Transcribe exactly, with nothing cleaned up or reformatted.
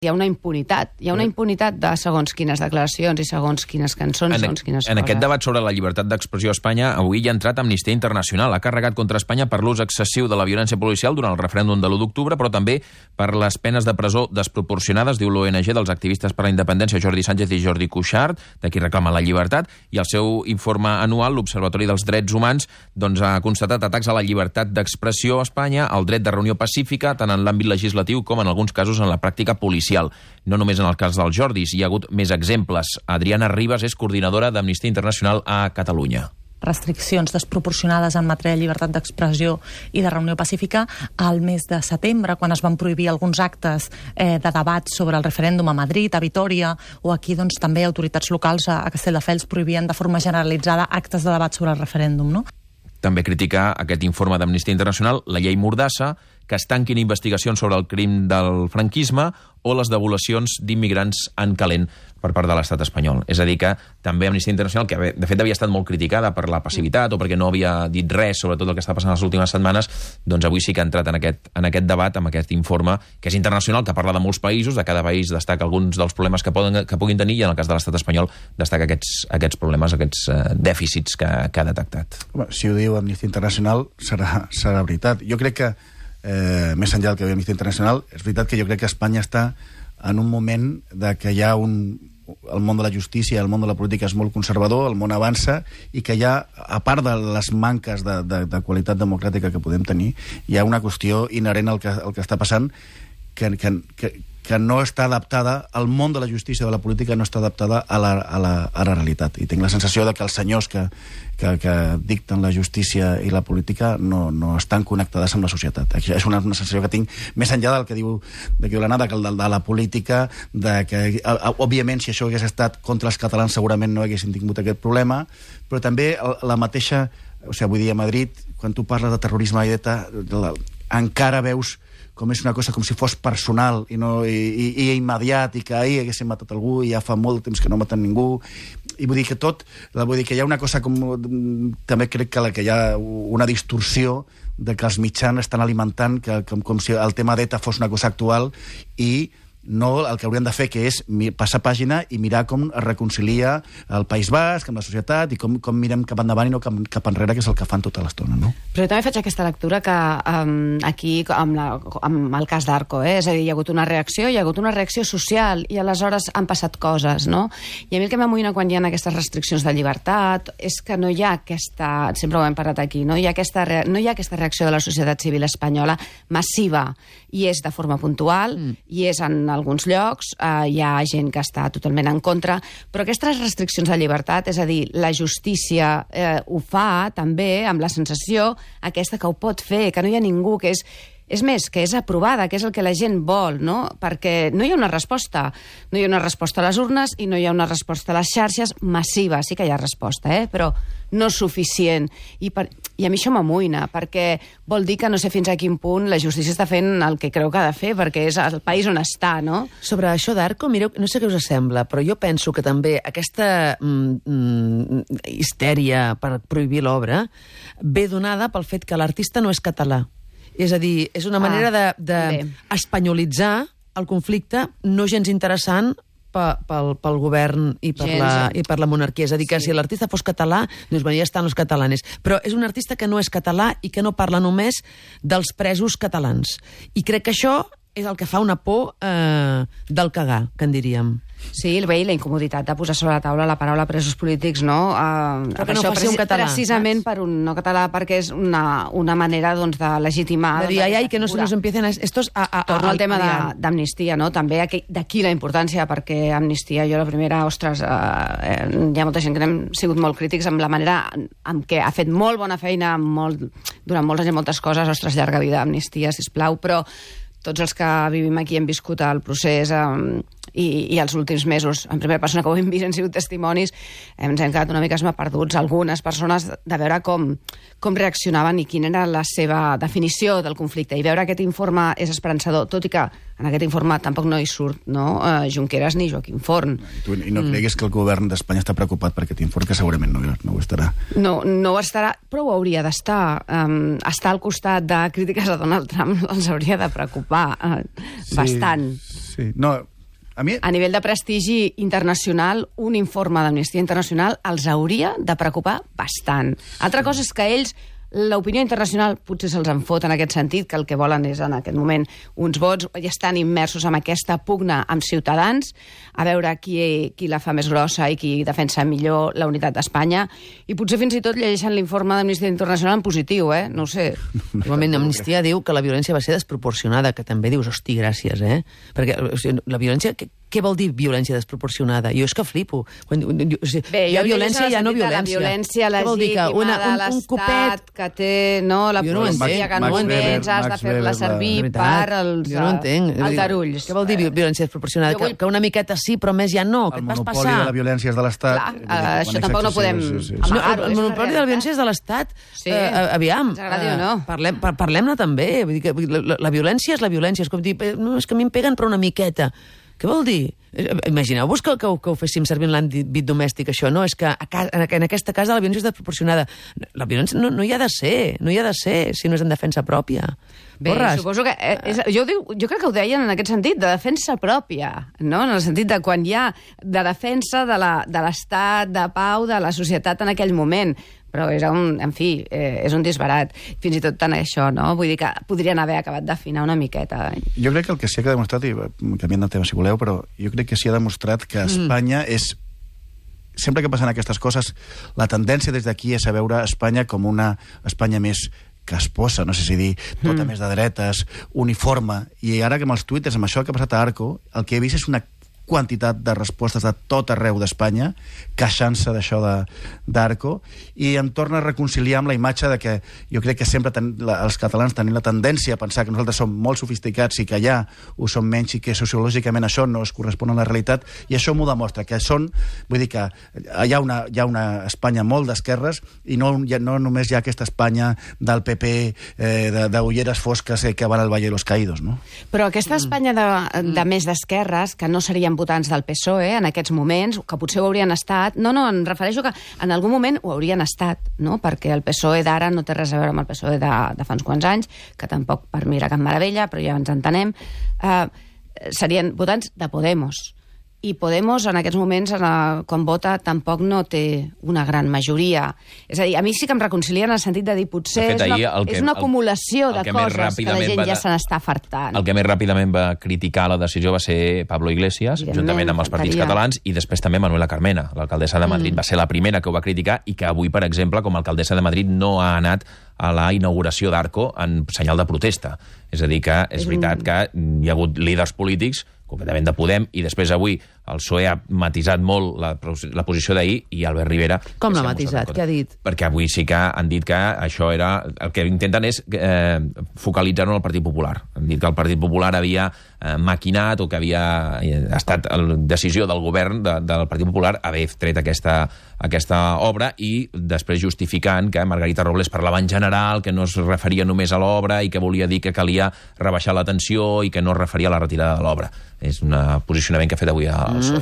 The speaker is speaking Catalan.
hi ha una impunitat. Hi ha una impunitat de segons quines declaracions i segons quines cançons, en, segons quines en coses. aquest debat sobre la llibertat d'expressió a Espanya, avui hi ha entrat Amnistia Internacional. Ha carregat contra Espanya per l'ús excessiu de la violència policial durant el referèndum de l'u d'octubre, però també per les penes de presó desproporcionades, diu l'O N G dels activistes per la independència Jordi Sánchez i Jordi Cuixart, de qui reclama la llibertat, i el seu informe anual, l'Observatori dels Drets Humans, doncs ha constatat atacs a la llibertat d'expressió a Espanya, al dret de reunió pacífica, tant en l'àmbit legislatiu com en alguns casos en la pràctica policial. No només en el cas dels Jordis, hi ha hagut més exemples. Adriana Ribas és coordinadora d'Amnistia Internacional a Catalunya. Restriccions desproporcionades en matèria de llibertat d'expressió i de reunió pacífica al mes de setembre, quan es van prohibir alguns actes eh, de debat sobre el referèndum a Madrid, a Vitòria, o aquí doncs, també autoritats locals a, a Castelldefels prohibien de forma generalitzada actes de debat sobre el referèndum, no? També critica aquest informe d'Amnistia Internacional la llei Mordassa, que es tanquin investigacions sobre el crim del franquisme o les devolucions d'immigrants en calent per part de l'estat espanyol. És a dir que també Amnistia Internacional, que de fet havia estat molt criticada per la passivitat o perquè no havia dit res sobre tot el que està passant les últimes setmanes, doncs avui sí que ha entrat en aquest, en aquest debat, amb aquest informe, que és internacional, que parla de molts països, de cada país destaca alguns dels problemes que, poden, que puguin tenir, i en el cas de l'estat espanyol destaca aquests, aquests problemes, aquests uh, dèficits que, que ha detectat. Home, si ho diu Amnistia Internacional, serà, serà veritat. Jo crec que Eh, més enllà del que ve Amnistia Internacional, és veritat que jo crec que Espanya està en un moment de que hi ha un... el món de la justícia, el món de la política és molt conservador, el món avança, i que hi ha, a part de les manques de, de, de qualitat democràtica que podem tenir, hi ha una qüestió inherent al que, al que està passant, que, que, que, que no està adaptada, el món de la justícia de la política no està adaptada a la, a la, a la realitat. I tinc la sensació de que els senyors que, que, que dicten la justícia i la política no, no estan connectades amb la societat. És una, una sensació que tinc, més enllà del que diu, de que diu l'Anna, de, de, de la política, de que, òbviament, si això hagués estat contra els catalans, segurament no haguessin tingut aquest problema, però també la mateixa, o sigui, vull dir, a Madrid, quan tu parles de terrorisme i d'ETA, encara veus com és una cosa com si fos personal i, no, i, i, i immediat, i que ahir haguessin matat algú i ja fa molt temps que no maten ningú. I vull dir que tot, vull dir que hi ha una cosa com... També crec que, la, que hi ha una distorsió de que els mitjans estan alimentant que, com, com si el tema d'ETA fos una cosa actual, i no el que haurien de fer, que és passar pàgina i mirar com es reconcilia el País Basc amb la societat, i com, com mirem cap endavant i no cap, cap enrere, que és el que fan tota l'estona, no? Però jo també faig aquesta lectura que um, aquí, amb, la, amb el cas d'Arco, eh? És a dir, hi ha hagut una reacció, hi ha hagut una reacció social, i aleshores han passat coses, no? I a mi el que m'amoïna quan hi ha aquestes restriccions de llibertat és que no hi ha aquesta, sempre ho hem parlat aquí, no hi ha aquesta, no hi ha aquesta reacció de la societat civil espanyola massiva, i és de forma puntual, mm. i és en alguns llocs, eh, hi ha gent que està totalment en contra, però aquestes restriccions de llibertat, és a dir, la justícia eh, ho fa també amb la sensació aquesta que ho pot fer, que no hi ha ningú, que és És més, que és aprovada, que és el que la gent vol, no? Perquè no hi ha una resposta. No hi ha una resposta a les urnes i no hi ha una resposta a les xarxes massiva. Sí que hi ha resposta, eh? Però no suficient. I, per... I a mi això m'amoïna, perquè vol dir que no sé fins a quin punt la justícia està fent el que creu que ha de fer, perquè és el país on està, no? Sobre això d'Arco, mireu, no sé què us sembla, però jo penso que també aquesta mm, mm, histèria per prohibir l'obra ve donada pel fet que l'artista no és català. És a dir, és una manera ah, d'espanyolitzar de, de el conflicte no gens interessant pel, pel, pel govern i per, la, i per la monarquia. És a dir, que sí. Si l'artista fos català, doncs ja estan els catalanes. Però és un artista que no és català i que no parla només dels presos catalans. I crec que això és el que fa una por eh, del cagar, que en diríem. Sí, el veí la incomoditat de posar sobre la taula la paraula presos polítics, no? Uh, Però que no ho faci un català. Precisament per un no català, perquè és una, una manera doncs, de legitimar... De dir, ai, ai, que no se nos empiecen estos a... a, a Torno al tema d'Amnistia, no? També d'aquí la importància, perquè Amnistia, jo la primera, ostres, eh, hi ha molta gent que hem sigut molt crítics amb la manera en què ha fet molt bona feina molt, durant molts anys i moltes coses, ostres, llarga vida Amnistia, sisplau, però tots els que vivim aquí hem viscut el procés eh, i, i els últims mesos, en primera persona que ho hem vist, han sigut testimonis, ens hem quedat una mica perduts, algunes persones, de veure com, com reaccionaven i quina era la seva definició del conflicte. I veure aquest informe és esperançador, tot i que en aquest informe tampoc no hi surt, no? Uh, Junqueras ni Joaquim Forn. I, tu, i no mm. creguis que el govern d'Espanya està preocupat per aquest informe, que segurament no, no ho estarà. No, no ho estarà, però ho hauria d'estar. Um, estar al costat de crítiques a Donald Trump els hauria de preocupar uh, sí, bastant. Sí, Sí, no... A, mi... a nivell de prestigi internacional, un informe d'Amnistia Internacional els hauria de preocupar bastant. Altra cosa és que ells, l'opinió internacional potser se'ls en fot en aquest sentit, que el que volen és en aquest moment uns vots, i estan immersos en aquesta pugna amb Ciutadans, a veure qui, qui la fa més grossa i qui defensa millor la unitat d'Espanya, i potser fins i tot llegeixen l'informe d'Amnistia Internacional en positiu, eh? No ho sé. Igualment, Amnistia diu que la violència va ser desproporcionada, que també dius, hosti, gràcies, eh? Perquè o sigui, la violència... Què vol dir violència desproporcionada? Jo és que flipo. Quan, o sigui, Bé, hi ha violència i hi ha no violència. La violència legítima una, un, de l'Estat que té no, la jo no policia, que no entens, has de fer-la servir per als aldarulls. Què vol dir violència desproporcionada? Vull... Que, que una miqueta sí, però més ja no. Què et vas passar? El monopoli de la violència és de l'Estat. Clar, uh, això tampoc no podem sí, sí, sí. amagar-ho. El monopoli de la violència és de l'Estat. Sí. Uh, aviam. Ens agradi o no. Parlem, par Parlem-ne també. Vull dir que la, la violència és la violència. És com dir, no, és que a mi em peguen però una miqueta. Què vol dir? Imagineu-vos que, que, que ho féssim servir en l'àmbit domèstic, això, no? És que a casa, en aquesta casa la violència és desproporcionada. La violència no, no hi ha de ser, no hi ha de ser, si no és en defensa pròpia. Bé, Porres. suposo que... És, jo, dic, jo crec que ho deien en aquest sentit, de defensa pròpia, no? En el sentit de quan hi ha de defensa de l'estat, de, de pau, de la societat en aquell moment. Però és un, en fi, eh, és un disbarat. Fins i tot tant això, no? Vull dir que podrien haver acabat d'afinar una miqueta. Jo crec que el que sí que ha demostrat, i canviant de tema si voleu, però jo crec que sí ha demostrat que Espanya mm. és... Sempre que passen aquestes coses, la tendència des d'aquí és a veure Espanya com una Espanya més casposa, no sé si dir, tota mm. més de dretes, uniforme. I ara que amb els tuiters, amb això que ha passat a Arco, el que he vist és una quantitat de respostes de tot arreu d'Espanya queixant-se d'això d'Arco, i em torna a reconciliar amb la imatge de que jo crec que sempre ten, la, els catalans tenim la tendència a pensar que nosaltres som molt sofisticats i que allà ho som menys i que sociològicament això no es correspon a la realitat, i això m'ho demostra, que són, vull dir que hi ha una, hi ha una Espanya molt d'esquerres i no, ja, no només hi ha aquesta Espanya del P P, eh, d'ulleres fosques eh, que van al Valle de los Caídos, no? Però aquesta Espanya de, de més d'esquerres, que no serien votants del P S O E en aquests moments, que potser ho haurien estat... No, no, em refereixo que en algun moment ho haurien estat, no? Perquè el P S O E d'ara no té res a veure amb el P S O E de, de fa uns quants anys, que tampoc per mi era cap meravella, però ja ens entenem. Uh, serien votants de Podemos. I Podemos en aquests moments, en el, quan vota, tampoc no té una gran majoria. És a dir, a mi sí que em reconcilia en el sentit de dir potser de fet, és, una, que, és una acumulació el, el de coses que la gent ja se n'està fartant. El que més ràpidament va criticar la decisió va ser Pablo Iglesias, juntament amb els partits catalans, i després també Manuela Carmena, l'alcaldessa de Madrid. Mm. Va ser la primera que ho va criticar i que avui, per exemple, com a alcaldessa de Madrid, no ha anat a la inauguració d'Arco en senyal de protesta. És a dir, que és veritat que hi ha hagut líders polítics completament de Podem, i després avui el P S O E ha matisat molt la, la posició d'ahir, i Albert Rivera... Com l'ha matisat? Què ha dit? Perquè avui sí que han dit que això era... El que intenten és eh, focalitzar-ho en el Partit Popular. Han dit que el Partit Popular havia eh, maquinat, o que havia eh, estat la decisió del govern de, del Partit Popular haver tret aquesta, aquesta obra, i després justificant que Margarita Robles parlava en general, que no es referia només a l'obra i que volia dir que calia rebaixar la tensió i que no es referia a la retirada de l'obra. És un posicionament que ha fet avui al P S O E.